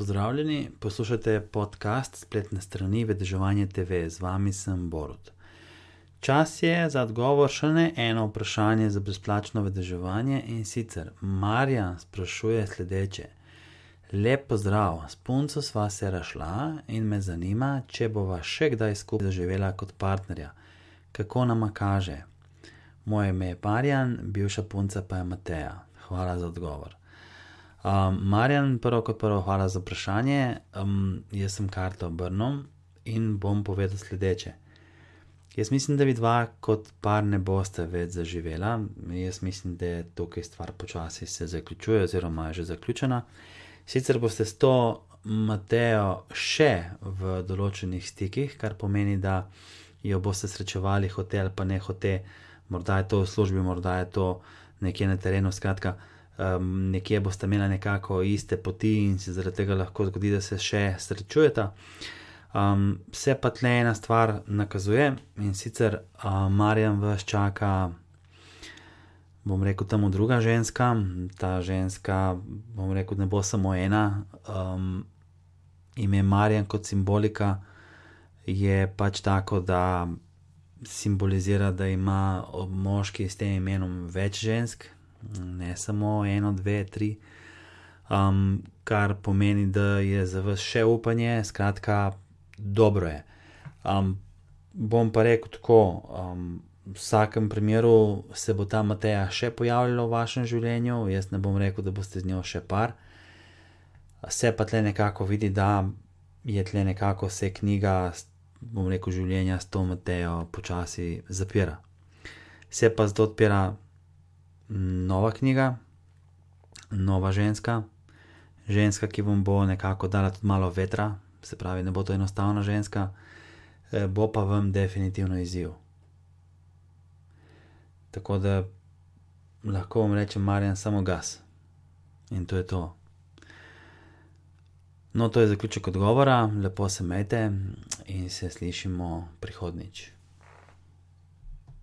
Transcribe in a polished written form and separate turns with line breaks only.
Pozdravljeni, poslušate podcast spletne strani Vedeževanje TV, z vami sem Borut. Čas je za odgovor še na eno vprašanje za brezplačno vedeževanje in sicer Marjan sprašuje sledeče. Lep pozdrav, s punco sva se razšla in me zanima, če bova še kdaj skupaj zaživela kot partnerja. Kako nama kaže? Moje ime je Marjan, bivša punca pa je Mateja. Hvala za odgovor. Marjan, prvo kot prvo, hvala za vprašanje. Jaz sem karto obrnil in bom povedal sledeče. Jaz mislim, da vidva kot par ne boste več zaživela. Jaz mislim, da je tukaj stvar počasi se zaključuje oziroma je že zaključena. Sicer boste s to Matejo še v določenih stikih, kar pomeni, da jo boste srečevali hote ali pa ne hote. Morda je to v službi, morda je to nekje na terenu, skratka, nekje boste imeli nekako iste poti in se zaradi tega lahko zgodi, da se še srečujeta. Se pa tle ena stvar nakazuje in sicer Marjan vas čaka, bom rekel, temu druga ženska. Ta ženska, bom rekel, ne bo samo ena. Ime Marjan kot simbolika je pač tako, da simbolizira, da ima moški s tem imenom več žensk, ne samo eno, dve, tri, kar pomeni, da je za vas še upanje, skratka, dobro je. Bom pa rekel tako, v vsakem primeru se bo ta Mateja še pojavljala v vašem življenju, jaz ne bom rekel, da boste z njo še par. Se pa tle nekako vidi, da je tle nekako se knjiga, bom rekel, življenja s to Matejo počasi zapira. Se pa zdaj odpira nova knjiga, nova ženska, ki vam bo nekako dala tudi malo vetra, se pravi, ne bo to enostavna ženska, bo pa vam definitivno izziv. Tako da lahko vam rečem, Marjan, samo gas. In to je to. No, to je zaključek odgovora, lepo se imejte in se slišimo prihodnjič.